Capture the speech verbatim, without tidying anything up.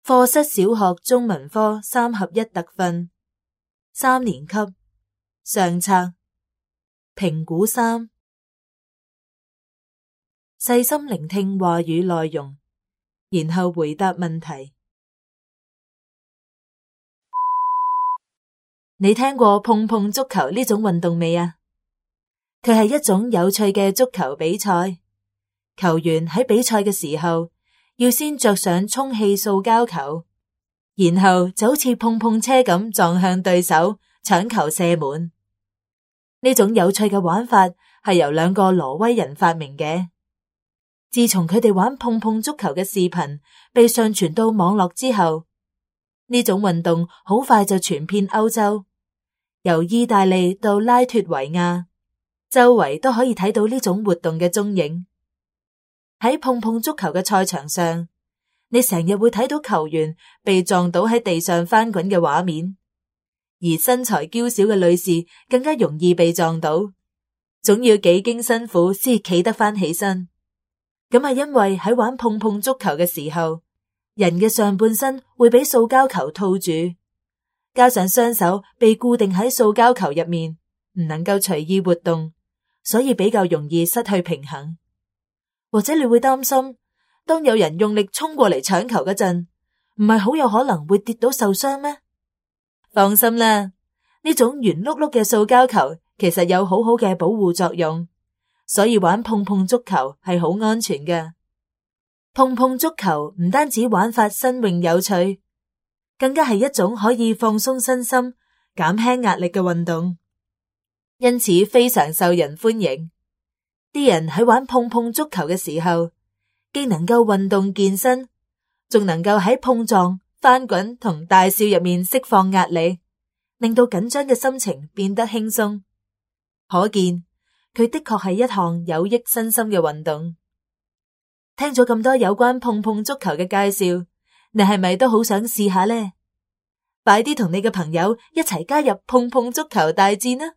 課室小學中文科三合一特訓，三年級上冊，評估三，細心聆聽話語內容，然後回答問題。你聽過碰碰足球呢種運動未啊？佢係一種有趣嘅足球比賽，球員喺比賽嘅時候要先着上充氣塑膠球，然後就好似碰碰車咁撞向對手，搶球射門。呢種有趣嘅玩法係由兩個挪威人發明嘅。自從佢哋玩碰碰足球嘅視頻被上傳到網絡之後，呢種運動好快就傳遍歐洲，由意大利到拉脫維亞，周圍都可以睇到呢種活動嘅蹤影。喺碰碰足球嘅賽場上，你成日會睇到球員被撞倒喺地上翻滾嘅畫面，而身材嬌小嘅女士更加容易被撞倒，總要幾經辛苦先企得翻起身。咁係因為喺玩碰碰足球嘅時候，人嘅上半身會俾塑膠球套住，加上雙手被固定喺塑膠球入面，唔能夠隨意活動，所以比較容易失去平衡。或者你會擔心，當有人用力衝過嚟搶球嗰陣，唔係好有可能會跌倒受傷咩？放心啦，呢種圓碌碌嘅塑膠球其實有好好嘅保護作用，所以玩碰碰足球係好安全嘅。碰碰足球唔單止玩法新穎有趣，更加係一種可以放鬆身心、減輕壓力嘅運動，因此非常受人歡迎。啲人喺玩碰碰足球嘅時候，既能夠運動健身，仲能夠喺碰撞、翻滾同大笑入面釋放壓力，令到緊張嘅心情變得輕鬆。可見佢的確係一項有益身心嘅運動。聽咗咁多有關碰碰足球嘅介紹，你係咪都好想試下呢？快啲同你嘅朋友一齊加入碰碰足球大戰啊！